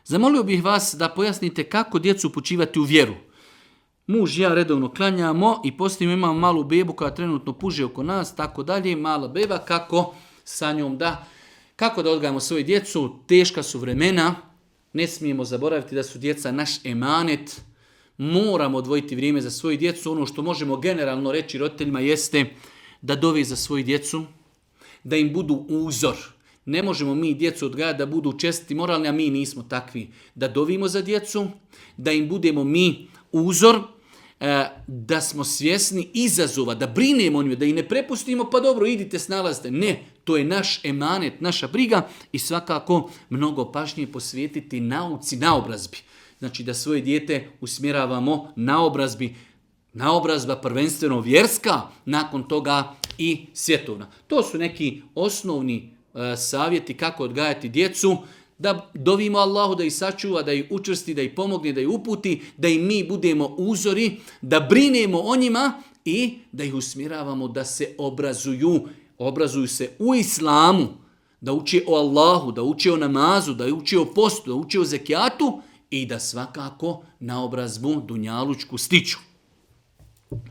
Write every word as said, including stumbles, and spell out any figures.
Zamolio bih vas da pojasnite kako djecu upućivati u vjeru. Muž i ja redovno klanjamo i poslije imamo malu bebu koja trenutno puže oko nas, tako dalje, mala beba, kako sa njom da, kako da odgajamo svoju djecu, teška su vremena, ne smijemo zaboraviti da su djeca naš emanet, moramo odvojiti vrijeme za svoju djecu, ono što možemo generalno reći roditeljima jeste da dove za svoju djecu, da im budu uzor. Ne možemo mi djecu odgajati da budu čestiti, moralni, a mi nismo takvi. Da dovimo za djecu, da im budemo mi uzor, da smo svjesni izazova, da brinemo o njima, da ih ne prepustimo, pa dobro, idite, snalazite. Ne, to je naš emanet, naša briga i svakako mnogo pažnje posvetiti nauci, naobrazbi. Znači da svoje dijete usmjeravamo naobrazbi, naobrazba prvenstveno vjerska, nakon toga i svjetovna. To su neki osnovni uh, savjeti kako odgajati djecu, da dovimo Allahu da ih sačuva, da ih učvrsti, da ih pomogne, da ih uputi, da im mi budemo uzori, da brinemo o njima i da ih usmjeravamo da se obrazuju, obrazuju se u islamu, da uče o Allahu, da uče o namazu, da uče o postu, da uče o zekijatu i da svakako naobrazbu dunjalučku stiču.